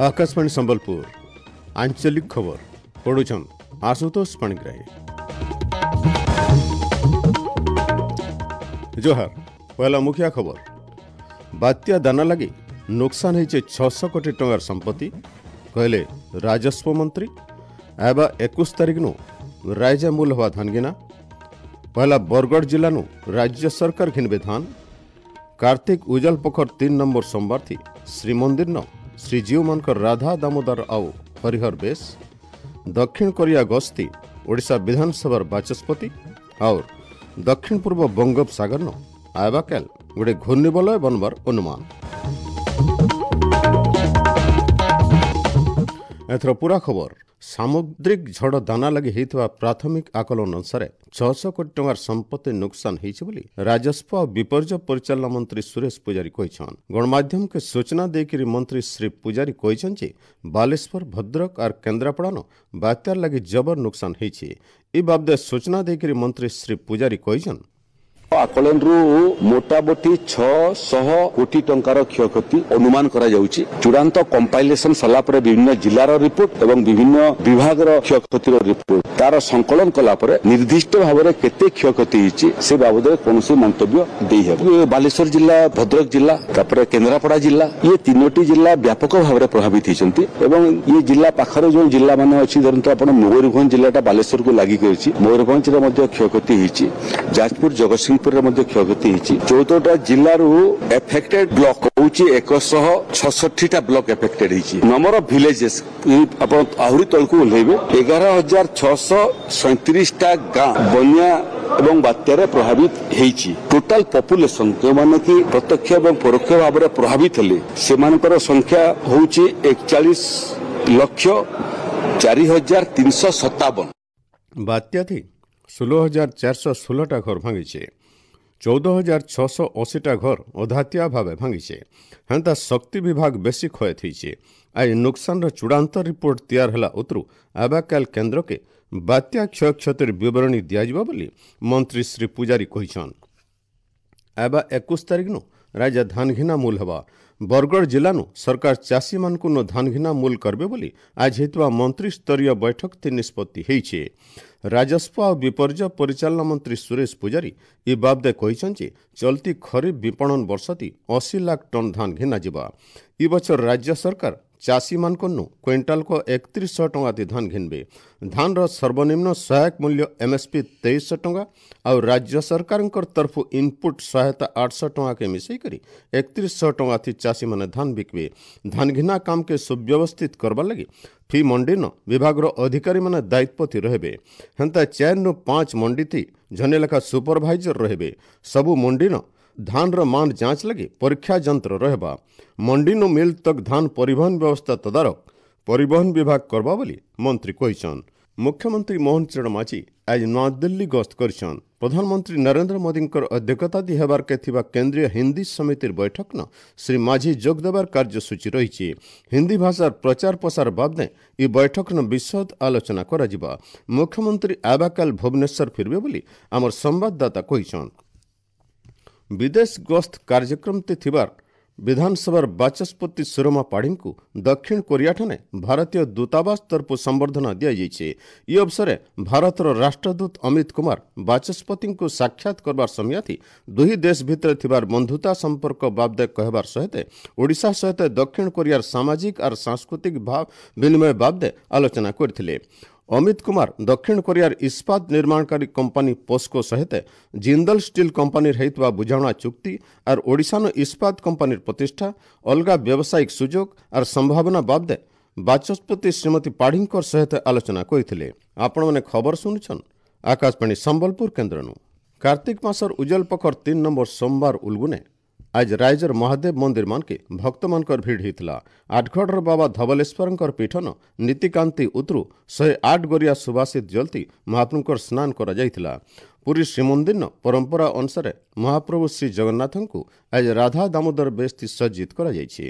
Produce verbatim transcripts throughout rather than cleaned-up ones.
ଆକାଶବାଣୀ ସମ୍ବଲପୁର ଆଞ୍ଚଳିକ ଖବର ପଢୁଛନ୍ ଆଶୁତୋଷ ପାଣିଗ୍ରାହୀ। ଜୁହାର। ପହଲା ମୁଖିଆ ଖବର। ବାତ୍ୟା ଦାନା ଲାଗି ନୁକସାନ ହେଇଛେ ଛଅଶହ କୋଟି ଟଙ୍କାର ସମ୍ପତ୍ତି, କହିଲେ ରାଜସ୍ୱ ମନ୍ତ୍ରୀ। ଆଇବା ଏକୋଇଶ ତାରିଖନୁ ରାଇଜା ମୂଲ ହେବା ଧାନଗିନା। ପହଲା ବରଗଡ଼ ଜିଲ୍ଲାନୁ ରାଜ୍ୟ ସରକାର ଘିନବେ ଧାନ। କାର୍ତ୍ତିକ ଉଜଲ ପୋଖର ତିନି ନମ୍ବର ସୋମବାର ଥି ଶ୍ରୀମନ୍ଦିରନ ଶ୍ରୀଜୀଉମାନଙ୍କର ରାଧା ଦାମୋଦର ଆଉ ହରିହର ବେଶ। ଦକ୍ଷିଣ କୋରିଆ ଗସ୍ତି ଓଡ଼ିଶା ବିଧାନସଭାର ବାଚସ୍ପତି। ଆଉ ଦକ୍ଷିଣ ପୂର୍ବ ବଙ୍ଗୋପସାଗରନ ଆଇବାକାଲ ଗୋଟେ ଘୂର୍ଣ୍ଣିବଳୟ ବନବାର ଅନୁମାନ। ଏଥର ପୁରା ଖବର। ସାମୁଦ୍ରିକ ଝଡ଼ ଦାନା ଲାଗି ହେଇଥିବା ପ୍ରାଥମିକ ଆକଳନ ଅନୁସାରେ ଛଅଶହ କୋଟି ଟଙ୍କାର ସମ୍ପତ୍ତି ନୁକସାନ ହେଇଛି ବୋଲି ରାଜସ୍ୱ ଆଉ ବିପର୍ଯ୍ୟୟ ପରିଚାଳନା ମନ୍ତ୍ରୀ ସୁରେଶ ପୂଜାରୀ କହିଛନ୍। ଗଣମାଧ୍ୟମକେ ସୂଚନା ଦେଇକରି ମନ୍ତ୍ରୀ ଶ୍ରୀ ପୂଜାରୀ କହିଛନ୍ତି ଯେ ବାଲେଶ୍ୱର, ଭଦ୍ରକ ଆର୍ କେନ୍ଦ୍ରାପଡ଼ାନ ବାତ୍ୟାର ଲାଗି ଜବର ନୁକସାନ ହେଇଛି। ଏ ବାବଦେ ସୂଚନା ଦେଇକରି ମନ୍ତ୍ରୀ ଶ୍ରୀ ପୂଜାରୀ କହିଛନ୍, ଆକଳନରୁ ମୋଟାମୋଟି ଛଅଶହ କୋଟି ଟଙ୍କାର କ୍ଷୟକ୍ଷତି ଅନୁମାନ କରାଯାଉଛି। ଚୂଡ଼ାନ୍ତ କମ୍ପାଇଲେସନ ସରିଲା ପରେ ବିଭିନ୍ନ ଜିଲ୍ଲାର ରିପୋର୍ଟ ଏବଂ ବିଭିନ୍ନ ବିଭାଗର କ୍ଷୟକ୍ଷତିର ରିପୋର୍ଟ ତାର ସଂକଳନ କଲା ପରେ ନିର୍ଦ୍ଦିଷ୍ଟ ଭାବରେ କେତେ କ୍ଷୟକ୍ଷତି ହେଇଛି ସେ ବାବଦରେ କୌଣସି ମନ୍ତବ୍ୟ ଦେଇହେବ। ବାଲେଶ୍ୱର ଜିଲ୍ଲା, ଭଦ୍ରକ ଜିଲ୍ଲା, ତାପରେ କେନ୍ଦ୍ରାପଡ଼ା ଜିଲ୍ଲା, ଇଏ ତିନୋଟି ଜିଲ୍ଲା ବ୍ୟାପକ ଭାବରେ ପ୍ରଭାବିତ ହେଇଛନ୍ତି। ଏବଂ ଇଏ ଜିଲ୍ଲା ପାଖରେ ଯେଉଁ ଜିଲ୍ଲାମାନେ ଅଛି, ଧରନ୍ତୁ ଆପଣ ମୟୂରଭଞ୍ଜ ଜିଲ୍ଲାଟା ବାଲେଶ୍ୱରକୁ ଲାଗିକି ଅଛି, ମୟୂରଭଞ୍ଜରେ ମଧ୍ୟ କ୍ଷୟକ୍ଷତି ହେଇଛି। ଯାଜପୁର, ଜଗତସିଂହପୁରରେ ମଧ୍ୟ କ୍ଷୟକ୍ଷତି ହେଇଛି। ଚଉଦଟା ଜିଲ୍ଲାରୁ ଏଫେକ୍ଟେଡ ବ୍ଲକ ହଉଛି ଏକଶହ ଛଷଠିଟା ବ୍ଲକ ଏଫେକ୍ଟେଡ ହେଇଛି। ନମ୍ବର ଅଫ ଭିଲେଜେସ୍ ଆପଣ ଆହୁରି ତଳକୁ ଓହ୍ଲେଇବେ, ଏଗାର ହଜାର ଛଅଶହ ସଇଁତିରିଶଟା ଗାଁ ବନ୍ୟା ଏବଂ ବାତ୍ୟାରେ ପ୍ରଭାବିତ ହେଇଛି। ଟୋଟାଲ ପପୁଲେସନ ଯେଉଁମାନେ କି ପ୍ରତ୍ୟକ୍ଷ ଏବଂ ପରୋକ୍ଷ ଭାବରେ ପ୍ରଭାବିତ ହେଲେ ସେମାନଙ୍କର ସଂଖ୍ୟା ହଉଛି ଏକଚାଳିଶ ଲକ୍ଷ ଚାରି ହଜାର ତିନିଶହ ସତାବନ। ବାତ୍ୟା ଥି ଷୋହଳ ହଜାର ଚାରିଶହ ଷୋହଳଟା ଘର ଭାଙ୍ଗିଛେ, ଚଉଦ ହଜାର ଛଅଶହ ଅଶୀଟା ଘର ଅଧାତିଆ ଭାବେ ଭାଙ୍ଗିଛେ। ହେନ୍ତା ଶକ୍ତି ବିଭାଗ ବେଶୀ କ୍ଷୟ ହେଇଛେ। ଆଜି ନୁକସାନର ଚୂଡ଼ାନ୍ତ ରିପୋର୍ଟ ତିଆର ହେଲା ଉତରୁ ଆବାକାଲ କେନ୍ଦ୍ରକେ ବାତ୍ୟା କ୍ଷୟକ୍ଷତିର ବିବରଣୀ ଦିଆଯିବ ବୋଲି ମନ୍ତ୍ରୀ ଶ୍ରୀ ପୂଜାରୀ କହିଛନ୍। ଆବା ଏକୋଇଶ ତାରିଖନୁ ରାଜ୍ୟ ଧାନଘିନା ମୂଲ ହେବା। ବରଗଡ଼ ଜିଲ୍ଲାନୁ ସରକାର ଚାଷୀମାନଙ୍କୁ ନ ଧାନଘିନା ମୂଲ କରିବେ ବୋଲି ଆଜି ହେଇଥିବା ମନ୍ତ୍ରୀସ୍ତରୀୟ ବୈଠକ ଥି ନିଷ୍ପତ୍ତି ହେଇଛେ। ରାଜସ୍ୱ ଆଉ ବିପର୍ଯ୍ୟୟ ପରିଚାଳନା ମନ୍ତ୍ରୀ ସୁରେଶ ପୂଜାରୀ ଏ ବାବଦେ କହିଛନ୍ତି ଯେ ଚଲତି ଖରିଫ ବିପଣନ ବର୍ଷତି ଅଶୀ ଲାଖ ଟନ୍ ଧାନ ଘିନାଯିବା। ଇ ବଛର ରାଜ୍ୟ ସରକାର ଚାଷୀମାନଙ୍କନୁ କ୍ୱିଣ୍ଟାଲକ ଏକତିରିଶଶହ ଟଙ୍କା ଦି ଧାନ ଘିନବେ। ଧାନର ସର୍ବନିମ୍ନ ସହାୟକ ମୂଲ୍ୟ ଏମ୍ଏସ୍ପି ତେଇଶଶହ ଟଙ୍କା ଆଉ ରାଜ୍ୟ ସରକାରଙ୍କର ତରଫରୁ ଇନପୁଟ ସହାୟତା ଆଠଶହ ଟଙ୍କାକେ ମିଶାଇକରି ଏକତିରିଶଶହ ଟଙ୍କା ଥି ଚାଷୀମାନେ ଧାନ ବିକବେ। ଧାନ ଘିନା କାମକେ ସୁବ୍ୟବସ୍ଥିତ କରବାର୍ ଲାଗି ଫି ମଣ୍ଡିନ ବିଭାଗର ଅଧିକାରୀମାନେ ଦାୟିତ୍ୱ ରହିବେ। ହେନ୍ତା ଚାରିରୁ ପାଞ୍ଚ ମଣ୍ଡି ଥି ଜନେ ଲେଖା ସୁପରଭାଇଜର ରହିବେ। ସବୁ ମଣ୍ଡିନ ଧାନର ମାନ ଯାଞ୍ଚ ଲାଗି ପରୀକ୍ଷା ଯନ୍ତ୍ର ରହିବା। ମଣ୍ଡିନୁ ମିଲ୍ ତକ୍ ଧାନ ପରିବହନ ବ୍ୟବସ୍ଥା ତଦାରଖ ପରିବହନ ବିଭାଗ କରବା ବୋଲି ମନ୍ତ୍ରୀ କହିଛନ୍। ମୁଖ୍ୟମନ୍ତ୍ରୀ ମୋହନ ଚରଣ ମାଝୀ ଆଜି ନୂଆଦିଲ୍ଲୀ ଗସ୍ତ କରିଛନ୍। ପ୍ରଧାନମନ୍ତ୍ରୀ ନରେନ୍ଦ୍ର ମୋଦୀଙ୍କର ଅଧ୍ୟକ୍ଷତା ଦି ହେବାର୍କେ ଥିବା କେନ୍ଦ୍ରୀୟ ହିନ୍ଦୀ ସମିତିର ବୈଠକନ ଶ୍ରୀ ମାଝୀ ଯୋଗ ଦେବାର କାର୍ଯ୍ୟସୂଚୀ ରହିଛି। ହିନ୍ଦୀ ଭାଷାର ପ୍ରଚାର ପ୍ରସାର ବାବଦେ ଇ ବୈଠକନ ବିଶଦ ଆଲୋଚନା କରାଯିବା। ମୁଖ୍ୟମନ୍ତ୍ରୀ ଆବାକାଲ ଭୁବନେଶ୍ୱର ଫିରବେ ବୋଲି ଆମର ସମ୍ବାଦଦାତା କହିଛନ୍। ବିଦେଶ ଗସ୍ତ କାର୍ଯ୍ୟକ୍ରମଟି ଥିବାର ବିଧାନସଭାର ବାଚସ୍ପତି ସୁରମା ପାଢ଼ୀଙ୍କୁ ଦକ୍ଷିଣ କୋରିଆଠାନେ ଭାରତୀୟ ଦୂତାବାସ ତରଫରୁ ସମ୍ବର୍ଦ୍ଧନା ଦିଆଯାଇଛି। ଇ ଅବସରେ ଭାରତର ରାଷ୍ଟ୍ରଦୂତ ଅମିତ କୁମାର ବାଚସ୍ପତିଙ୍କୁ ସାକ୍ଷାତ କରବାର ସମୟାଥି ଦୁଇ ଦେଶ ଭିତରେ ଥିବାର ବନ୍ଧୁତା ସମ୍ପର୍କ ବାବଦେ କହିବାର ସହିତ ଓଡ଼ିଶା ସହିତ ଦକ୍ଷିଣ କୋରିଆର ସାମାଜିକ ଆର୍ ସାଂସ୍କୃତିକ ଭାବ ବିନିମୟ ବାବଦେ ଆଲୋଚନା କରିଥିଲେ। ଅମିତ କୁମାର ଦକ୍ଷିଣ କୋରିଆର ଇସ୍ପାତ ନିର୍ମାଣକାରୀ କମ୍ପାନୀ ପୋସ୍କୋ ସହିତ ଜିନ୍ଦଲ ଷ୍ଟିଲ୍ କମ୍ପାନୀର ହେଇଥିବା ବୁଝାମଣା ଚୁକ୍ତି ଆର୍ ଓଡ଼ିଶାନ ଇସ୍ପାତ କମ୍ପାନୀର ପ୍ରତିଷ୍ଠା, ଅଲଗା ବ୍ୟବସାୟିକ ସୁଯୋଗ ଆର୍ ସମ୍ଭାବନା ବାବଦେ ବାଚସ୍ପତି ଶ୍ରୀମତୀ ପାଢ଼ୀଙ୍କର ସହିତ ଆଲୋଚନା କରିଥିଲେ। ଆପଣମାନେ ଖବର ଶୁଣୁଛନ୍ ଆକାଶବାଣୀ ସମ୍ବଲପୁର କେନ୍ଦ୍ରନୁ। କାର୍ତ୍ତିକ ମାସର ଉଜଲ ପୋଖର ତିନି ନମ୍ବର ସୋମବାର ଉଲଗୁନେ ଆଜ ରାଇଜର ମହାଦେବ ମନ୍ଦିର ମାନକେ ଭକ୍ତମାନଙ୍କର ଭିଡ଼ ହେଇଥିଲା। ଆଠଗଡ଼ର ବାବା ଧବଲେଶ୍ୱରଙ୍କର ପୀଠନ ନୀତିକାନ୍ତି ଉତରୁ ଶହେ ଆଠ ଗରିଆ ସୁବାସିତ ଜଲତି ମହାପ୍ରଭୁଙ୍କର ସ୍ନାନ କରାଯାଇଥିଲା। ପୁରୀ ଶ୍ରୀମନ୍ଦିର ପରମ୍ପରା ଅନୁସାରେ ମହାପ୍ରଭୁ ଶ୍ରୀ ଜଗନ୍ନାଥଙ୍କୁ ଆଜି ରାଧା ଦାମୋଦର ବେଶତି ସଜ୍ଜିତ କରାଯାଇଛି।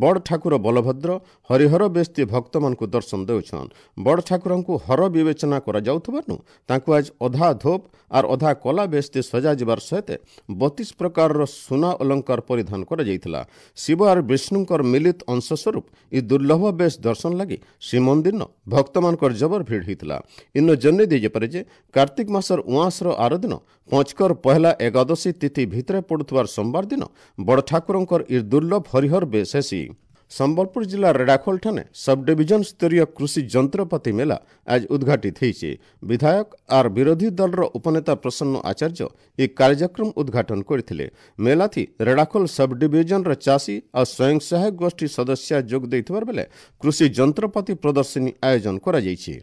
ବଡ଼ ଠାକୁର ବଳଭଦ୍ର ହରିହର ବେଶତି ଭକ୍ତମାନଙ୍କୁ ଦର୍ଶନ ଦେଉଛନ୍। ବଡ଼ ଠାକୁରଙ୍କୁ ହର ବିବେଚନା କରାଯାଉଥିବାରୁ ତାଙ୍କୁ ଆଜି ଅଧା ଧୋପ ଆର୍ ଅଧା କଲା ବେଶତି ସଜାଯିବାର ସହିତ ବତିଶ ପ୍ରକାରର ସୁନା ଅଳଙ୍କାର ପରିଧାନ କରାଯାଇଥିଲା। ଶିବ ଆର୍ ବିଷ୍ଣୁଙ୍କର ମିଳିତ ଅଂଶ ସ୍ୱରୂପ ଇ ଦୁର୍ଲଭ ବେଶ ଦର୍ଶନ ଲାଗି ଶ୍ରୀମନ୍ଦିର ଭକ୍ତମାନଙ୍କର ଜବର ଭିଡ଼ ହୋଇଥିଲା। ଇନ ଜନେଇ ଦେଇଯାଇପାରେ ଯେ କାର୍ତ୍ତିକ ମାସର ଉଆଁସର ଆର ଦିନ ପଞ୍ଚକର ପହେଲା ଏକାଦଶୀ ତିଥି ଭିତରେ ପଡୁଥିବାର ସୋମବାର ଦିନ ବଡ଼ ଠାକୁରଙ୍କର ଇ ଦୁର୍ଲଭ ହରିହର ବେଶ ହେସି। ସମ୍ବଲପୁର ଜିଲ୍ଲା ରେଡ଼ାଖୋଲ ଠାନେ ସବଡିଭିଜନ ସ୍ତରୀୟ କୃଷି ଯନ୍ତ୍ରପାତି ମେଳା ଆଜି ଉଦ୍ଘାଟିତ ହୋଇଛି। ବିଧାୟକ ଆର୍ ବିରୋଧୀ ଦଳର ଉପନେତା ପ୍ରସନ୍ନ ଆଚାର୍ଯ୍ୟ ଏହି କାର୍ଯ୍ୟକ୍ରମ ଉଦ୍ଘାଟନ କରିଥିଲେ। ମେଳାଥି ରେଡ଼ାଖୋଲ ସବଡିଭିଜନର ଚାଷୀ ଆଉ ସ୍ୱୟଂ ସହାୟକ ଗୋଷ୍ଠୀ ସଦସ୍ୟ ଯୋଗ ଦେଇଥିବାର ବେଲେ କୃଷି ଯନ୍ତ୍ରପାତି ପ୍ରଦର୍ଶନୀ ଆୟୋଜନ କରାଯାଇଛି।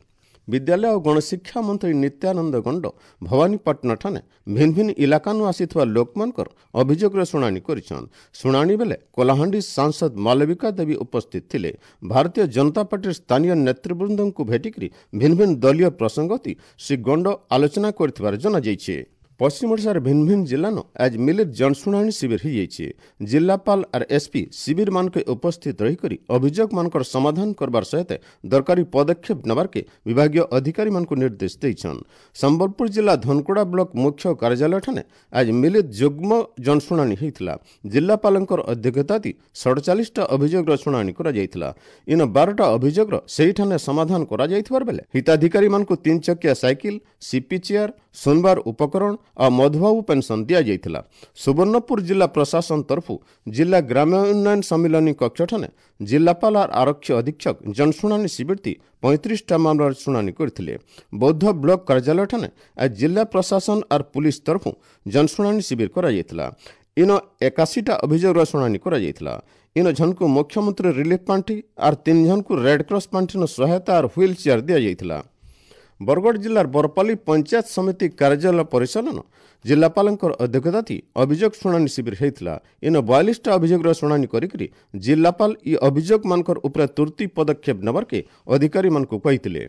ବିଦ୍ୟାଳୟ ଓ ଗଣଶିକ୍ଷା ମନ୍ତ୍ରୀ ନିତ୍ୟାନନ୍ଦ ଗଣ୍ଡ ଭବାନୀପାଟଣା ଠାନେ ଭିନ୍ନ ଭିନ୍ନ ଇଲାକାନୁ ଆସିଥିବା ଲୋକମାନଙ୍କର ଅଭିଯୋଗର ଶୁଣାଣି କରିଛନ୍। ଶୁଣାଣି ବେଳେ କଳାହାଣ୍ଡି ସାଂସଦ ମାଲବିକା ଦେବୀ ଉପସ୍ଥିତ ଥିଲେ। ଭାରତୀୟ ଜନତା ପାର୍ଟିର ସ୍ଥାନୀୟ ନେତୃବୃନ୍ଦଙ୍କୁ ଭେଟିକରି ଭିନ୍ନ ଭିନ୍ନ ଦଳୀୟ ପ୍ରସଙ୍ଗତି ଶ୍ରୀ ଗଣ୍ଡ ଆଲୋଚନା କରିଥିବାର ଜଣାଯାଇଛି। ପଶ୍ଚିମ ଓଡ଼ିଶାର ଭିନ୍ନ ଭିନ୍ନ ଜିଲ୍ଲାନ ଆଜି ମିଳିତ ଜନଶୁଣାଣି ଶିବିର ହୋଇଯାଇଛି। ଜିଲ୍ଲାପାଳ ଆର୍ ଏସ୍ପି ଶିବିରମାନକେ ଉପସ୍ଥିତ ରହିକରି ଅଭିଯୋଗମାନଙ୍କର ସମାଧାନ କରବାର ସହିତ ଦରକାରୀ ପଦକ୍ଷେପ ନେବାର୍କେ ବିଭାଗୀୟ ଅଧିକାରୀମାନଙ୍କୁ ନିର୍ଦ୍ଦେଶ ଦେଇଛନ୍। ସମ୍ବଲପୁର ଜିଲ୍ଲା ଧନକୁଡ଼ା ବ୍ଲକ ମୁଖ୍ୟ କାର୍ଯ୍ୟାଳୟଠାନେ ଆଜି ମିଳିତ ଯୁଗ୍ମ ଜନଶୁଣାଣି ହୋଇଥିଲା। ଜିଲ୍ଲାପାଳଙ୍କର ଅଧ୍ୟକ୍ଷତାତି ସଡ଼ଚାଳିଶଟା ଅଭିଯୋଗର ଶୁଣାଣି କରାଯାଇଥିଲା। ଇନ ବାରଟା ଅଭିଯୋଗର ସେହିଠାନେ ସମାଧାନ କରାଯାଇଥିବାର ବେଲେ ହିତାଧିକାରୀମାନଙ୍କୁ ତିନି ଚକିଆ ସାଇକେଲ, ସିପି ଚେୟାର, ଶୁଣବାର ଉପକରଣ ଆଉ ମଧୁବାବୁ ପେନ୍ସନ୍ ଦିଆଯାଇଥିଲା। ସୁବର୍ଣ୍ଣପୁର ଜିଲ୍ଲା ପ୍ରଶାସନ ତରଫରୁ ଜିଲ୍ଲା ଗ୍ରାମ୍ୟ ଉନ୍ନୟନ ସମ୍ମିଳନୀ କକ୍ଷଠାନେ ଜିଲ୍ଲାପାଳ ଆର୍ ଆରକ୍ଷୀ ଅଧୀକ୍ଷକ ଜନଶୁଣାଣି ଶିବିରଟି ପଇଁତିରିଶଟା ମାମଲାର ଶୁଣାଣି କରିଥିଲେ। ବୌଦ୍ଧ ବ୍ଲକ କାର୍ଯ୍ୟାଳୟଠାନେ ଆଜି ଜିଲ୍ଲା ପ୍ରଶାସନ ଆର୍ ପୁଲିସ ତରଫରୁ ଜନଶୁଣାଣି ଶିବିର କରାଯାଇଥିଲା। ଇନ ଏକାଶୀଟା ଅଭିଯୋଗର ଶୁଣାଣି କରାଯାଇଥିଲା। ଇନ ଜଣକୁ ମୁଖ୍ୟମନ୍ତ୍ରୀ ରିଲିଫ ପାଣ୍ଠି ଆର୍ ତିନି ଜଣକୁ ରେଡ୍କ୍ରସ୍ ପାଣ୍ଠିର ସହାୟତା ଆର୍ ହ୍ୱିଲ୍ ଚେୟାର ଦିଆଯାଇଥିଲା। ବରଗଡ଼ ଜିଲ୍ଲାର ବରପାଲି ପଞ୍ଚାୟତ ସମିତି କାର୍ଯ୍ୟାଳୟ ପରିଚାଳନା ଜିଲ୍ଲାପାଳଙ୍କର ଅଧ୍ୟକ୍ଷତାତି ଅଭିଯୋଗ ଶୁଣାଣି ଶିବିର ହୋଇଥିଲା। ଇନ ବୟାଳିଶଟା ଅଭିଯୋଗର ଶୁଣାଣି କରିକରି ଜିଲ୍ଲାପାଳ ଇ ଅଭିଯୋଗମାନଙ୍କର ଉପରେ ତୁର୍ତ୍ତି ପଦକ୍ଷେପ ନେବାର୍କେ ଅଧିକାରୀମାନଙ୍କୁ କହିଥିଲେ।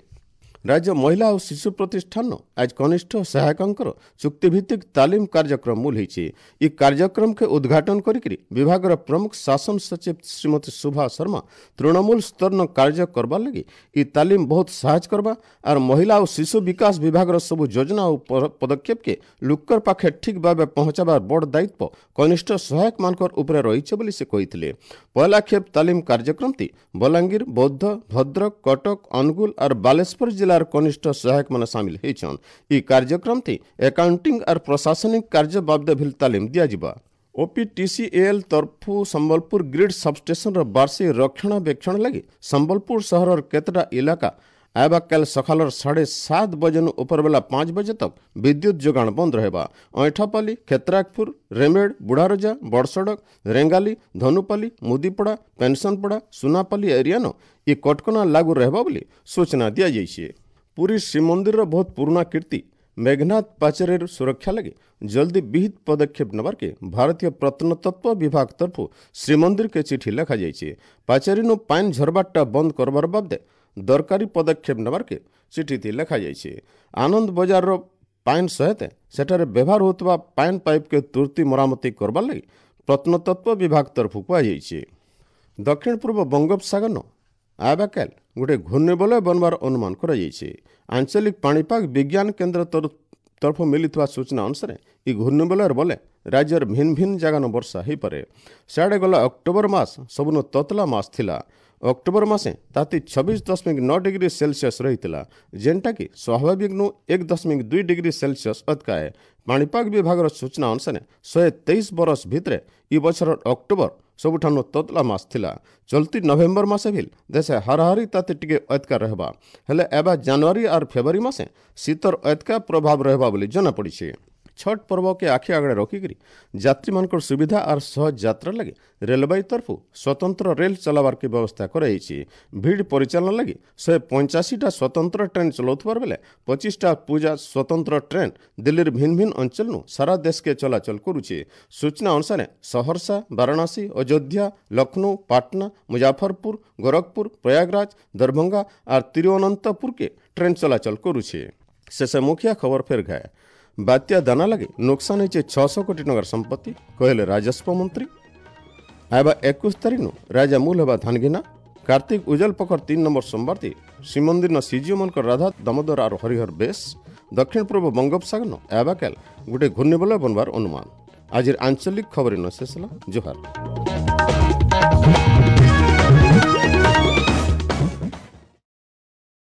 ରାଜ୍ୟ ମହିଳା ଓ ଶିଶୁ ପ୍ରତିଷ୍ଠାନ ଆଜ କନିଷ୍ଠ ସହାୟକଙ୍କର ଚୁକ୍ତିଭିତ୍ତିକ ତାଲିମ କାର୍ଯ୍ୟକ୍ରମ ମୂଲ ହୋଇଛି। ଇ କାର୍ଯ୍ୟକ୍ରମକେ ଉଦ୍ଘାଟନ କରିକରି ବିଭାଗର ପ୍ରମୁଖ ଶାସନ ସଚିବ ଶ୍ରୀମତୀ ଶୋଭା ଶର୍ମା ତୃଣମୂଳ ସ୍ତରନ କାର୍ଯ୍ୟ କରବାର ଲାଗି ଇ ତାଲିମ ବହୁତ ସାହାଯ୍ୟ କରବା ଆର୍ ମହିଳା ଓ ଶିଶୁ ବିକାଶ ବିଭାଗର ସବୁ ଯୋଜନା ଓ ପଦକ୍ଷେପକେ ଲୁକର ପାଖେ ଠିକ୍ ଭାବେ ପହଞ୍ଚାବାର ବଡ଼ ଦାୟିତ୍ୱ କନିଷ୍ଠ ସହାୟକମାନଙ୍କର ଉପରେ ରହିছে ବୋଲି ସେ କହିଥିଲେ। ପହଲା ଖେପ ତାଲିମ କାର୍ଯ୍ୟକ୍ରମଟି ବଲାଙ୍ଗୀର, ବୌଦ୍ଧ, ଭଦ୍ରକ, କଟକ, ଅନୁଗୁଳ ଆର୍ ବାଲେଶ୍ୱର ଜିଲ୍ଲା କନିଷ୍ଠ ସହାୟକ ମାନେ ସାମିଲ ହେଇଛନ୍। ଇ କାର୍ଯ୍ୟକ୍ରମଟି ଆକାଉଣ୍ଟିଂ ଆର୍ ପ୍ରଶାସନିକ କାର୍ଯ୍ୟ ବାବଦେ ଭିଲ ତାଲିମ ଦିଆଯିବା। ଓପିଟିସିଏଲ୍ ତରଫୁ ସମ୍ବଲପୁର ଗ୍ରିଡ୍ ସବଷ୍ଟେସନର ବାର୍ଷିକ ରକ୍ଷଣାବେକ୍ଷଣ ଲାଗି ସମ୍ବଲପୁର ସହରର କେତେଟା ଇଲାକା ଆଇବା କାଲ ସକାଳର ସାଢ଼େ ସାତ ବଜେନୁ ଉପରବେଲା ପାଞ୍ଚ ବଜେ ତକ ବିଦ୍ୟୁତ ଯୋଗାଣ ବନ୍ଦ ରହିବା। ଅଇଁଠାପାଲି, କ୍ଷେତ୍ରାକପୁର, ରେମେଡ଼, ବୁଢ଼ାରଜା, ବଡ଼ସଡ଼କ, ରେଙ୍ଗାଲି, ଧନୁପାଲି, ମୁଦିପଡ଼ା, ପେନସନପଡ଼ା, ସୁନାପାଲି ଏରିଆନ ଇ କଟକଣା ଲାଗୁ ରହିବା ବୋଲି ସୂଚନା ଦିଆଯାଇଛି। ପୁରୀ ଶ୍ରୀମନ୍ଦିରର ବହୁତ ପୁରୁଣା କୀର୍ତ୍ତି ମେଘନାଥ ପାଚେରୀର ସୁରକ୍ଷା ଲାଗି ଜଲ୍ଦି ବିହିତ ପଦକ୍ଷେପ ନେବାର୍କେ ଭାରତୀୟ ପ୍ରତ୍ନତତ୍ତ୍ୱ ବିଭାଗ ତରଫରୁ ଶ୍ରୀମନ୍ଦିରକେ ଚିଠି ଲେଖାଯାଇଛି। ପାଚେରୀନୁ ପାଇନ୍ ଝରବାରଟା ବନ୍ଦ କରବାର ବାବଦେ ଦରକାରୀ ପଦକ୍ଷେପ ନେବାର୍କେ ଚିଠିଟି ଲେଖାଯାଇଛି। ଆନନ୍ଦ ବଜାରର ପାଇନ୍ ସହିତ ସେଠାରେ ବ୍ୟବହାର ହେଉଥିବା ପାଇନ୍ ପାଇପ୍କେ ତୁର୍ତ୍ତି ମରାମତି କରବାର୍ ଲାଗି ପ୍ରତ୍ନତତ୍ତ୍ୱ ବିଭାଗ ତରଫରୁ କୁହାଯାଇଛି। ଦକ୍ଷିଣ ପୂର୍ବ ବଙ୍ଗୋପସାଗରନ ଆବାକାଲ ଗୋଟେ ଘୂର୍ଣ୍ଣିବଳୟ ବନବାର ଅନୁମାନ କରାଯାଇଛି। ଆଞ୍ଚଳିକ ପାଣିପାଗ ବିଜ୍ଞାନ କେନ୍ଦ୍ର ତରଫରୁ ମିଳିଥିବା ସୂଚନା ଅନୁସାରେ ଇ ଘୂର୍ଣ୍ଣିବଳୟର ବଲେ ରାଜ୍ୟର ଭିନ୍ନ ଭିନ୍ନ ଜାଗାନ ବର୍ଷା ହୋଇପାରେ। ସିଆଡ଼େ ଗଲା ଅକ୍ଟୋବର ମାସ ସବୁନୁ ତତଲା ମାସ ଥିଲା। ଅକ୍ଟୋବର ମାସେ ତାତି ଛବିଶ ଦଶମିକ ନଅ ଡିଗ୍ରୀ ସେଲସିୟସ୍ ରହିଥିଲା, ଯେନ୍ଟାକି ସ୍ୱାଭାବିକନୁ ଏକ ଦଶମିକ ଦୁଇ ଡିଗ୍ରୀ ସେଲସିୟସ୍ ଅତକାଏ। ପାଣିପାଗ ବିଭାଗର ସୂଚନା ଅନୁସାରେ ଶହେ ତେଇଶ ବରଷ ଭିତରେ ଇ ବଛରର ଅକ୍ଟୋବର ସବୁଠାରୁ ତତଲା ମାସ ଥିଲା। ଚଲତି ନଭେମ୍ବର ମାସେ ଭିଲ୍ ଦେଶେ ହାରାହାରି ତାତି ଟିକେ ଅତକା ରହିବା, ହେଲେ ଏବେ ଜାନୁଆରୀ ଆର୍ ଫେବୃଆରୀ ମାସେ ଶୀତର ଅତକା ପ୍ରଭାବ ରହିବା ବୋଲି ଜଣାପଡ଼ିଛି। ଛଟ୍ ପର୍ବକେ ଆଖି ଆଗରେ ରଖିକରି ଯାତ୍ରୀମାନଙ୍କର ସୁବିଧା ଆର୍ ସହଜ ଯାତ୍ରା ଲାଗି ରେଲବାଇ ତରଫରୁ ସ୍ୱତନ୍ତ୍ର ରେଲ୍ ଚଲାବାର୍କେ ବ୍ୟବସ୍ଥା କରାଯାଇଛି। ଭିଡ଼ ପରିଚାଳନା ଲାଗି ଶହେ ପଞ୍ଚାଅଶୀଟା ସ୍ୱତନ୍ତ୍ର ଟ୍ରେନ୍ ଚଲାଉଥିବାର ବେଲେ ପଚିଶଟା ପୂଜା ସ୍ୱତନ୍ତ୍ର ଟ୍ରେନ୍ ଦିଲ୍ଲୀର ଭିନ୍ନ ଭିନ୍ନ ଅଞ୍ଚଳନୁ ସାରା ଦେଶକେ ଚଳାଚଳ କରୁଛି। ସୂଚନା ଅନୁସାରେ ସହରସା, ବାରାଣସୀ, ଅଯୋଧ୍ୟା, ଲକ୍ଷ୍ନୌ, ପାଟନା, ମୁଜାଫରପୁର, ଗୋରଖପୁର, ପ୍ରୟାଗରାଜ, ଦରଭଙ୍ଗା ଆର୍ ତିରୁଅନନ୍ତପୁରକେ ଟ୍ରେନ୍ ଚଳାଚଳ କରୁଛି। ଶେଷ ମୁଖିଆ ଖବର ଫେର ଘାଏ। ବାତ୍ୟା ଦାନା ଲାଗି ନୁକସାନ ହେଇଛେ ଛଅଶହ କୋଟି ଟଙ୍କାର ସମ୍ପତ୍ତି, କହିଲେ ରାଜସ୍ୱ ମନ୍ତ୍ରୀ। ଆଇବା ଏକୋଇଶ ତାରିଖନୁ ରାଜା ମୂଲ ହେବା ଧାନଘିନା। କାର୍ତ୍ତିକ ଉଜଲ ପଖର ତିନି ନମ୍ବର ସୋମବାରତି ଶ୍ରୀମନ୍ଦିର ଶ୍ରୀଜୀଉମାନଙ୍କର ରାଧା ଦାମୋଦର ଆର ହରିହର ବେଶ। ଦକ୍ଷିଣ ପୂର୍ବ ବଙ୍ଗୋପସାଗର ଆବାକାଲ ଗୋଟେ ଘୂର୍ଣ୍ଣିବଳୟ ବନବାର ଅନୁମାନ। ଆଜିର ଆଞ୍ଚଳିକ ଖବର ଶେଷ ହେଲା। ଜୁହାର।